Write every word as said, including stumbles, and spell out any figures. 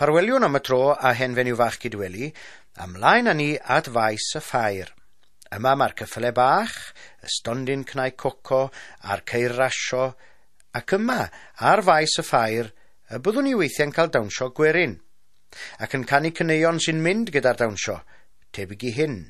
Ffarweliwn am y tro a hen fenyw fach Cydweli, ymlaen â ni at faes y ffair. Yma mae'r ceffyle bach, y stondin cnau coco a'r ceir rasio, ac yma, ar faes y ffair, y byddwn ni weithiau'n cael dawnsio gwerin, ac yn canu caneuon sy'n mynd gyda'r dawnsio, tebyg i hyn.